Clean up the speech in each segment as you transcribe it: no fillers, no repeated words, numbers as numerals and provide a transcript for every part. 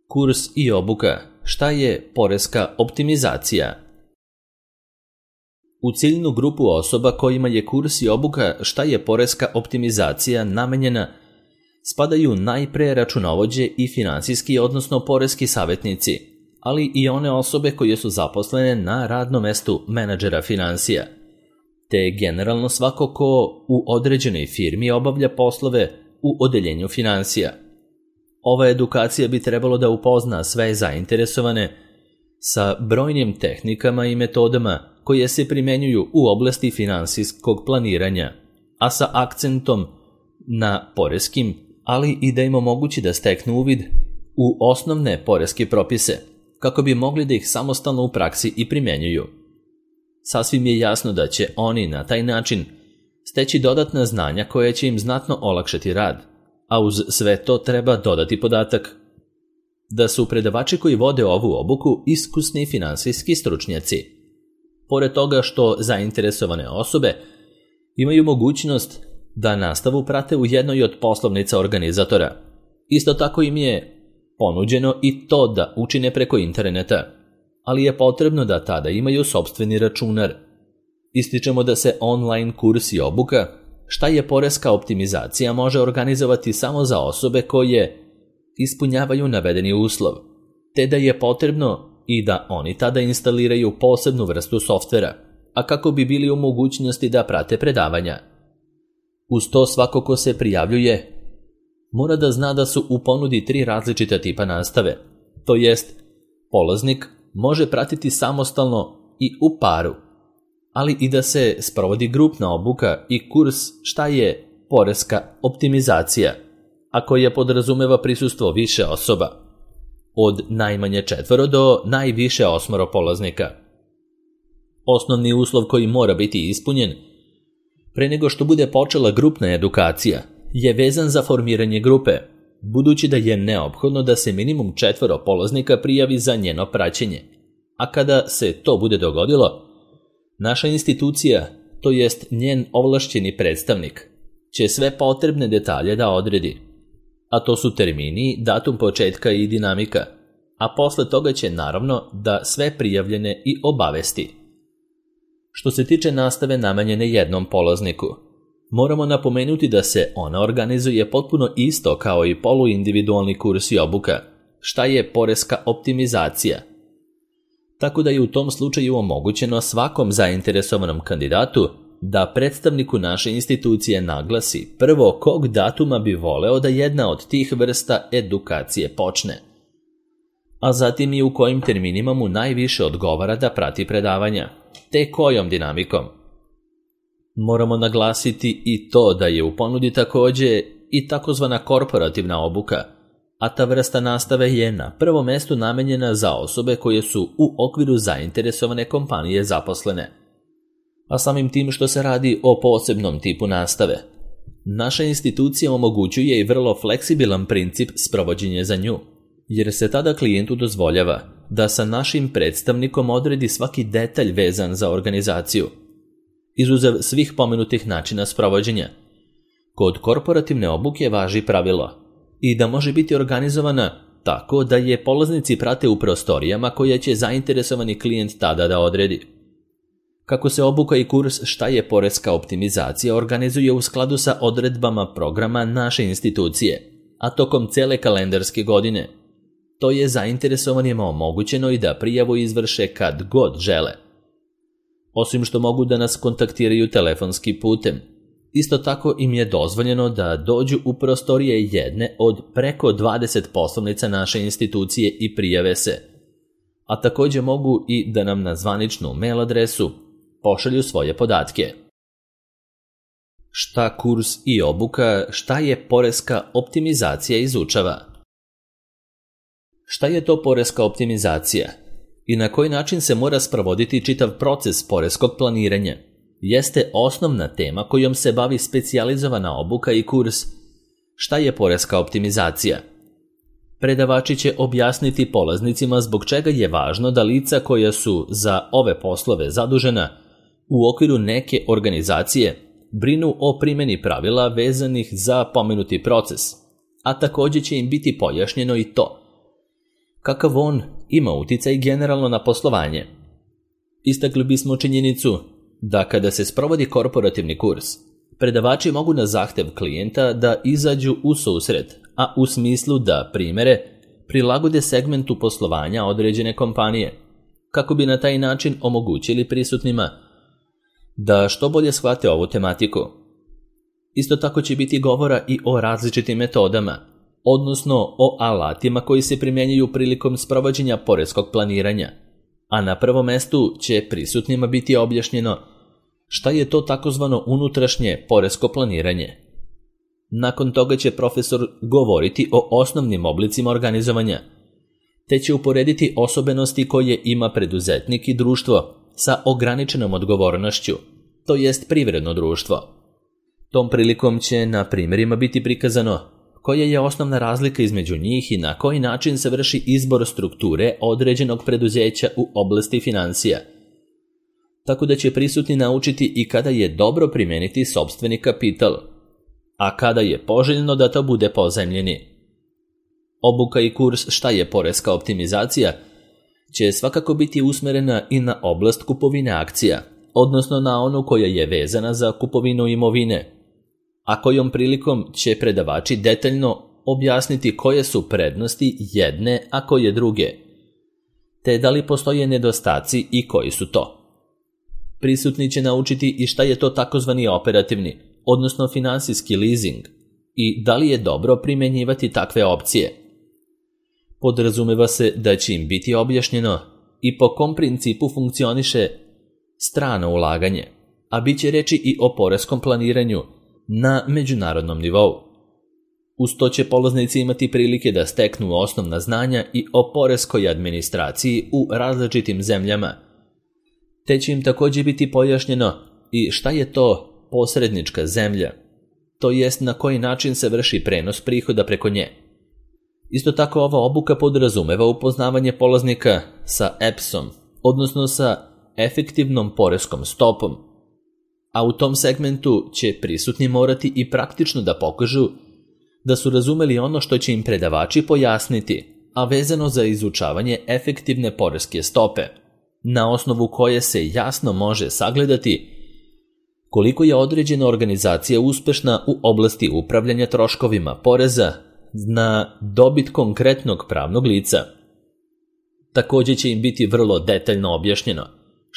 Kurs i obuka. Šta je poreska optimizacija? U ciljnu grupu osoba kojima je kurs i obuka šta je poreska optimizacija namenjena spadaju najpre računovođe i finansijski, odnosno poreski savjetnici, ali i one osobe koje su zaposlene na radnom mestu menadžera finansija, te generalno svako ko u određenoj firmi obavlja poslove u odeljenju finansija. Ova edukacija bi trebalo da upozna sve zainteresovane sa brojnim tehnikama i metodama koje se primenjuju u oblasti finansijskog planiranja, a sa akcentom na poreskim, ali i da im omogući da steknu uvid u osnovne poreske propise, kako bi mogli da ih samostalno u praksi i primenjuju. Sasvim je jasno da će oni na taj način steći dodatna znanja koja će im znatno olakšati rad, a uz sve to treba dodati podatak da su predavači koji vode ovu obuku iskusni finansijski stručnjaci. Pored toga što zainteresovane osobe imaju mogućnost da nastavu prate u jednoj od poslovnica organizatora. Isto tako im je ponuđeno i to da učine preko interneta, ali je potrebno da tada imaju sopstveni računar. Ističemo da se online kurs i obuka šta je poreska optimizacija može organizovati samo za osobe koje ispunjavaju navedeni uslov, te da je potrebno i da oni tada instaliraju posebnu vrstu softvera, a kako bi bili u mogućnosti da prate predavanja. Uz to svako ko se prijavljuje mora da zna da su u ponudi 3 različita tipa nastave, to jest polaznik može pratiti samostalno i u paru, ali i da se sprovodi grupna obuka i kurs šta je poreska optimizacija, a koja podrazumeva prisustvo više osoba, od najmanje 4 do najviše 8 polaznika. Osnovni uslov koji mora biti ispunjen pre nego što bude počela grupna edukacija je vezan za formiranje grupe, budući da je neophodno da se minimum 4 polaznika prijavi za njeno praćenje, a kada se to bude dogodilo, naša institucija, to jest njen ovlašćeni predstavnik, će sve potrebne detalje da odredi, a to su termini, datum početka i dinamika, a posle toga će naravno da sve prijavljene i obavesti. Što se tiče nastave namenjene jednom polazniku, moramo napomenuti da se ona organizuje potpuno isto kao i poluindividualni kurs i obuka, šta je poreska optimizacija. Tako da je u tom slučaju omogućeno svakom zainteresovanom kandidatu da predstavniku naše institucije naglasi prvo kog datuma bi voleo da jedna od tih vrsta edukacije počne, a zatim i u kojim terminima mu najviše odgovara da prati predavanja, te kojom dinamikom. Moramo naglasiti i to da je u ponudi takođe i takozvana korporativna obuka, a ta vrsta nastave je na prvom mestu namenjena za osobe koje su u okviru zainteresovane kompanije zaposlene. A samim tim što se radi o posebnom tipu nastave, naša institucija omogućuje i vrlo fleksibilan princip sprovođenja za nju, jer se tada klijentu dozvoljava da sa našim predstavnikom odredi svaki detalj vezan za organizaciju, izuzev svih pomenutih načina sprovođenja. Kod korporativne obuke važi pravilo i da može biti organizovana tako da je polaznici prate u prostorijama koje će zainteresovani klijent tada da odredi. Kako se obuka i kurs šta je poreska optimizacija organizuje u skladu sa odredbama programa naše institucije, a tokom cele kalendarske godine, to je zainteresovanima omogućeno i da prijavu izvrše kad god žele. Osim što mogu da nas kontaktiraju telefonski putem, isto tako im je dozvoljeno da dođu u prostorije jedne od preko 20 poslovnica naše institucije i prijave se, a takođe mogu i da nam na zvaničnu mail adresu pošalju svoje podatke. Šta kurs i obuka, šta je poreska optimizacija izučava? Šta je to poreska optimizacija i na koji način se mora sprovoditi čitav proces poreskog planiranja jeste osnovna tema kojom se bavi specijalizovana obuka i kurs šta je poreska optimizacija. Predavači će objasniti polaznicima zbog čega je važno da lica koja su za ove poslove zadužena u okviru neke organizacije brinu o primjeni pravila vezanih za pomenuti proces, a takođe će im biti pojašnjeno i to kakav on ima uticaj generalno na poslovanje. Istakli bismo činjenicu da kada se sprovodi korporativni kurs, predavači mogu na zahtev klijenta da izađu u susret, a u smislu da primere prilagode segmentu poslovanja određene kompanije, kako bi na taj način omogućili prisutnima da što bolje shvate ovu tematiku. Isto tako će biti govora i o različitim metodama, odnosno o alatima koji se primjenjuju prilikom sprovođenja poreskog planiranja, a na prvom mestu će prisutnima biti objašnjeno šta je to takozvano unutrašnje poresko planiranje. Nakon toga će profesor govoriti o osnovnim oblicima organizovanja, te će uporediti osobenosti koje ima preduzetnik i društvo sa ograničenom odgovornošću, to jest privredno društvo. Tom prilikom će na primjerima biti prikazano koja je osnovna razlika između njih i na koji način se vrši izbor strukture određenog preduzeća u oblasti financija, tako da će prisutni naučiti i kada je dobro primijeniti sopstveni kapital, a kada je poželjno da to bude pozajmljeni. Obuka i kurs šta je poreska optimizacija će svakako biti usmjerena i na oblast kupovine akcija, odnosno na onu koja je vezana za kupovinu imovine, a kojom prilikom će predavači detaljno objasniti koje su prednosti jedne, a koje druge, te da li postoje nedostaci i koji su to. Prisutni će naučiti i šta je to takozvani operativni, odnosno finansijski leasing, i da li je dobro primjenjivati takve opcije. Podrazumeva se da će im biti objašnjeno i po kom principu funkcioniše strano ulaganje, a bit će reći i o poreskom planiranju na međunarodnom nivou. Uz to će polaznici imati prilike da steknu osnovna znanja i o poreskoj administraciji u različitim zemljama, te će im također biti pojašnjeno i šta je to posrednička zemlja, to jest na koji način se vrši prenos prihoda preko nje. Isto tako ova obuka podrazumeva upoznavanje polaznika sa EPS-om, odnosno sa efektivnom poreskom stopom, a u tom segmentu će prisutni morati i praktično da pokažu da su razumeli ono što će im predavači pojasniti, a vezano za izučavanje efektivne poreske stope, na osnovu koje se jasno može sagledati koliko je određena organizacija uspešna u oblasti upravljanja troškovima poreza na dobit konkretnog pravnog lica. Također će im biti vrlo detaljno objašnjeno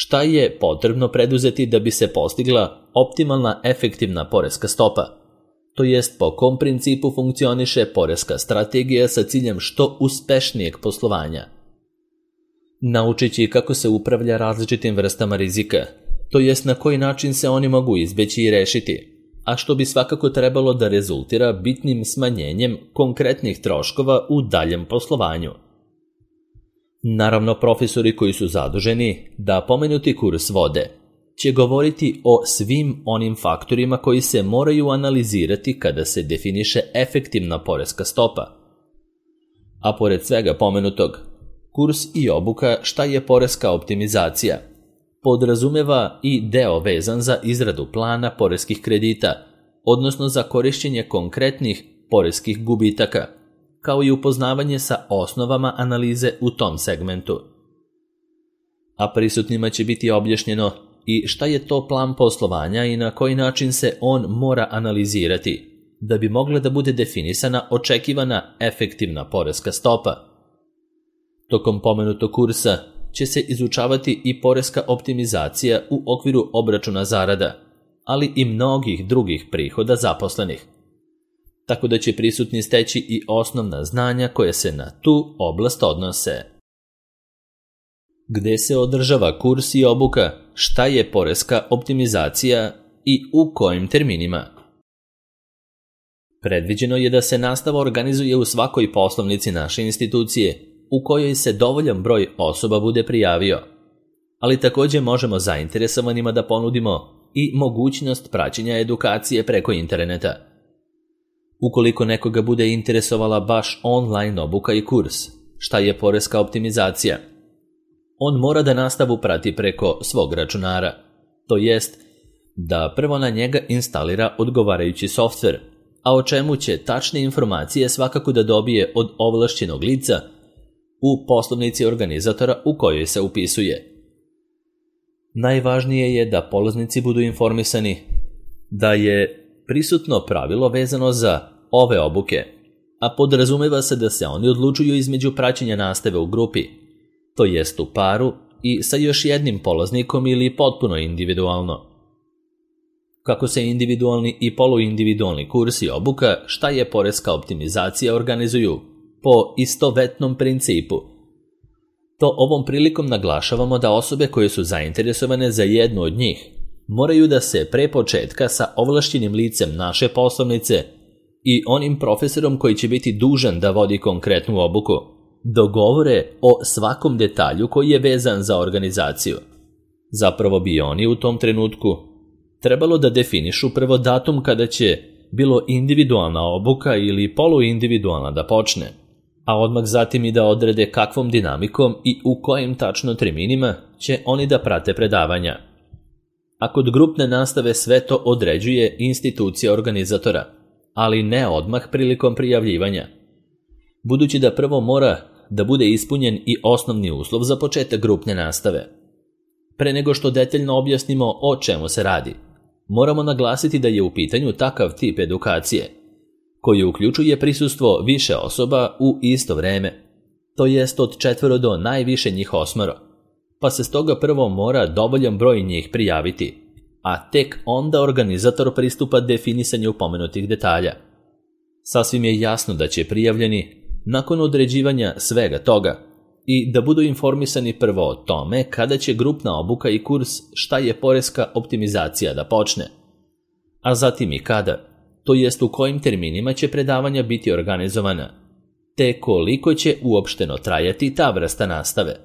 šta je potrebno preduzeti da bi se postigla optimalna efektivna poreska stopa, to jest po kom principu funkcioniše poreska strategija sa ciljem što uspešnijeg poslovanja. Naučit će kako se upravlja različitim vrstama rizika, to jest na koji način se oni mogu izbeći i rešiti, a što bi svakako trebalo da rezultira bitnim smanjenjem konkretnih troškova u daljem poslovanju. Naravno, profesori koji su zaduženi da pomenuti kurs vode će govoriti o svim onim faktorima koji se moraju analizirati kada se definiše efektivna poreska stopa. A pored svega pomenutog, kurs i obuka šta je poreska optimizacija podrazumeva i deo vezan za izradu plana poreskih kredita, odnosno za korišćenje konkretnih poreskih gubitaka, kao i upoznavanje sa osnovama analize u tom segmentu. A prisutnima će biti objašnjeno i šta je to plan poslovanja i na koji način se on mora analizirati, da bi mogla da bude definisana očekivana efektivna poreska stopa. Tokom pomenutog kursa će se izučavati i poreska optimizacija u okviru obračuna zarada, ali i mnogih drugih prihoda zaposlenih, tako da će prisutni steći i osnovna znanja koje se na tu oblast odnose. Gde se održava kurs i obuka, šta je poreska optimizacija i u kojim terminima? Predviđeno je da se nastava organizuje u svakoj poslovnici naše institucije, u kojoj se dovoljan broj osoba bude prijavio, ali također možemo zainteresovanima da ponudimo i mogućnost praćenja edukacije preko interneta. Ukoliko nekoga bude interesovala baš online obuka i kurs, šta je poreska optimizacija, on mora da nastavu prati preko svog računara, to jest da prvo na njega instalira odgovarajući softver, a o čemu će tačne informacije svakako da dobije od ovlašćenog lica u poslovnici organizatora u kojoj se upisuje. Najvažnije je da polaznici budu informisani da je prisutno pravilo vezano za ove obuke, a podrazumeva se da se oni odlučuju između praćenja nastave u grupi, to jest u paru i sa još jednim polaznikom ili potpuno individualno. Kako se individualni i poluindividualni kursi i obuka šta je poreska optimizacija organizuju po istovetnom principu. To ovom prilikom naglašavamo da osobe koje su zainteresovane za jednu od njih moraju da se pre početka sa ovlašćenim licem naše poslovnice i onim profesorom koji će biti dužan da vodi konkretnu obuku dogovore o svakom detalju koji je vezan za organizaciju. Zapravo bi oni u tom trenutku trebalo da definišu prvo datum kada će bilo individualna obuka ili poluindividualna da počne, a odmah zatim i da odrede kakvom dinamikom i u kojim tačno terminima će oni da prate predavanja. A kod grupne nastave sve to određuje institucija organizatora, ali ne odmah prilikom prijavljivanja. Budući da prvo mora da bude ispunjen i osnovni uslov za početak grupne nastave. Pre nego što detaljno objasnimo o čemu se radi, moramo naglasiti da je u pitanju takav tip edukacije, koji uključuje prisustvo više osoba u isto vreme, to jest od 4 do najviše njih 8, pa se stoga prvo mora dovoljan broj njih prijaviti, a tek onda organizator pristupa definisanju pomenutih detalja. Sasvim je jasno da će prijavljeni, nakon određivanja svega toga, i da budu informisani prvo o tome kada će grupna obuka i kurs šta je poreska optimizacija da počne, a zatim i kada, to jest u kojim terminima će predavanja biti organizovana, te koliko će uopšteno trajati ta vrsta nastave,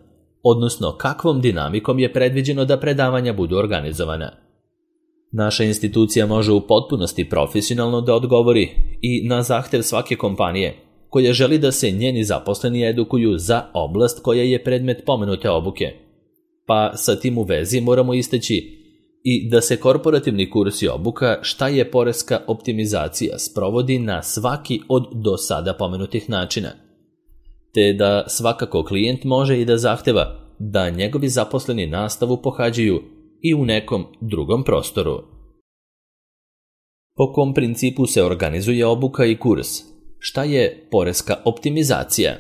odnosno kakvom dinamikom je predviđeno da predavanja budu organizovana. Naša institucija može u potpunosti profesionalno da odgovori i na zahtev svake kompanije koja želi da se njeni zaposleni edukuju za oblast koja je predmet pomenute obuke. Pa sa tim u vezi moramo istaći i da se korporativni kurs i obuka šta je poreska optimizacija sprovodi na svaki od do sada pomenutih načina, te da svakako klijent može i da zahteva da njegovi zaposleni nastavu pohađaju i u nekom drugom prostoru. Po kom principu se organizuje obuka i kurs? Šta je poreska optimizacija?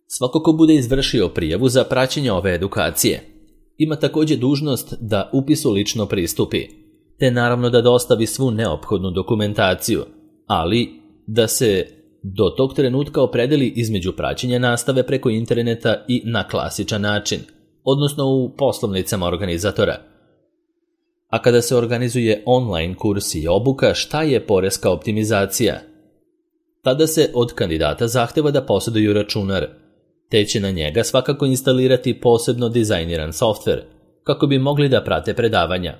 Svako ko bude izvršio prijavu za praćenje ove edukacije ima također dužnost da upisu lično pristupi, te naravno da dostavi svu neophodnu dokumentaciju, ali da se do tog trenutka opredeli između praćenja nastave preko interneta i na klasičan način, odnosno u poslovnicama organizatora. A kada se organizuje online kurs i obuka, šta je poreska optimizacija? Tada se od kandidata zahteva da posjeduju računar, te će na njega svakako instalirati posebno dizajniran softver, kako bi mogli da prate predavanja.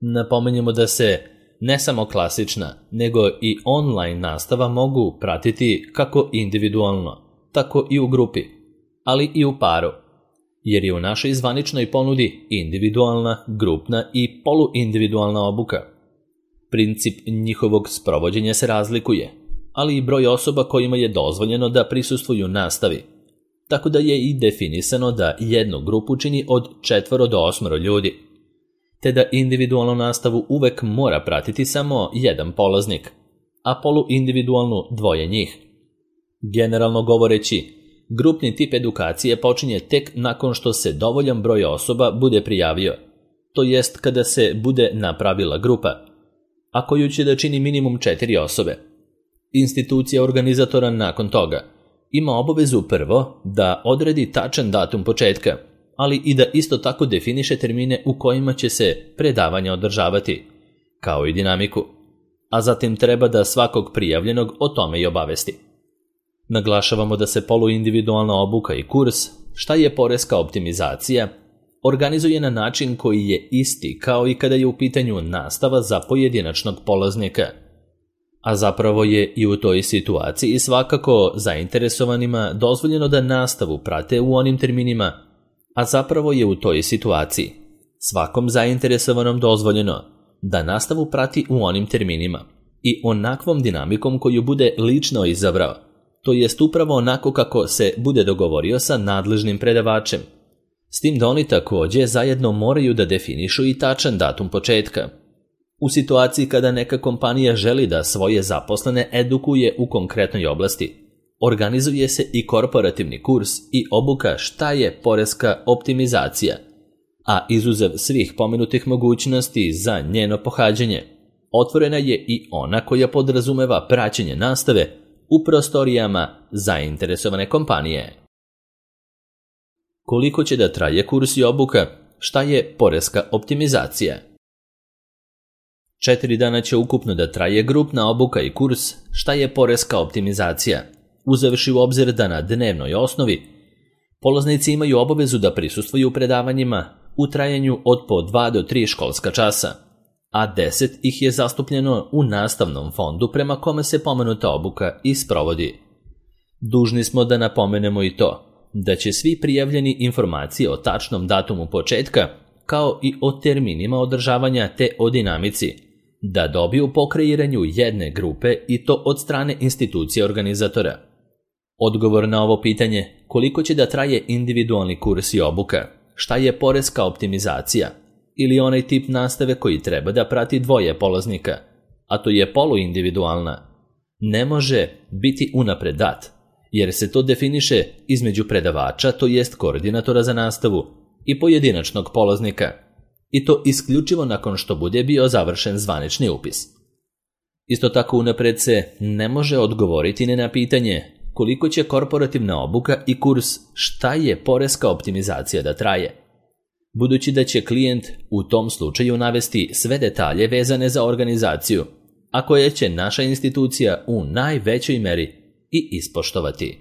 Napomenjemo da se ne samo klasična, nego i online nastava mogu pratiti kako individualno, tako i u grupi, ali i u paru, jer je u našoj zvaničnoj ponudi individualna, grupna i poluindividualna obuka. Princip njihovog sprovođenja se razlikuje, ali i broj osoba kojima je dozvoljeno da prisustvuju nastavi, tako da je i definisano da jednu grupu čini od 4 do 8 ljudi, te da individualnu nastavu uvek mora pratiti samo jedan polaznik, a poluindividualnu 2 njih. Generalno govoreći, grupni tip edukacije počinje tek nakon što se dovoljan broj osoba bude prijavio, to jest kada se bude napravila grupa, a koju će da čini minimum 4 osobe. Institucija organizatora nakon toga ima obavezu prvo da odredi tačan datum početka, ali i da isto tako definiše termine u kojima će se predavanja održavati, kao i dinamiku, a zatim treba da svakog prijavljenog o tome i obavesti. Naglašavamo da se poluindividualna obuka i kurs, šta je poreska optimizacija, organizuje na način koji je isti kao i kada je u pitanju nastava za pojedinačnog polaznika, a zapravo je i u toj situaciji svakako zainteresovanima dozvoljeno da nastavu prate u onim terminima, a zapravo je u toj situaciji svakom zainteresovanom dozvoljeno da nastavu prati u onim terminima i onakvom dinamikom koju bude lično izabrao, to jest upravo onako kako se bude dogovorio sa nadležnim predavačem. S tim da oni također zajedno moraju da definišu i tačan datum početka. U situaciji kada neka kompanija želi da svoje zaposlene edukuje u konkretnoj oblasti, organizuje se i korporativni kurs i obuka šta je poreska optimizacija, a izuzev svih pomenutih mogućnosti za njeno pohađanje, otvorena je i ona koja podrazumeva praćenje nastave u prostorijama zainteresovane kompanije. Koliko će da traje kurs i obuka? Šta je poreska optimizacija? 4 dana će ukupno da traje grupna obuka i kurs šta je poreska optimizacija, uzevši u obzir da na dnevnoj osnovi polaznici imaju obavezu da prisustvuju predavanjima u trajanju od po 2 do 3 školska časa, a 10 ih je zastupljeno u nastavnom fondu prema kome se pomenuta obuka i sprovodi. Dužni smo da napomenemo i to da će svi prijavljeni informacije o tačnom datumu početka, kao i o terminima održavanja te o dinamici, da dobiju po kreiranju jedne grupe i to od strane institucije organizatora. Odgovor na ovo pitanje, koliko će da traje individualni kurs i obuka, šta je poreska optimizacija, ili onaj tip nastave koji treba da prati 2 polaznika, a to je poluindividualna, ne može biti unapred dat, jer se to definiše između predavača, to jest koordinatora za nastavu, i pojedinačnog polaznika, i to isključivo nakon što bude bio završen zvanični upis. Isto tako unapred se ne može odgovoriti ni na pitanje koliko će korporativna obuka i kurs šta je poreska optimizacija da traje, budući da će klijent u tom slučaju navesti sve detalje vezane za organizaciju, a koje će naša institucija u najvećoj meri i ispoštovati.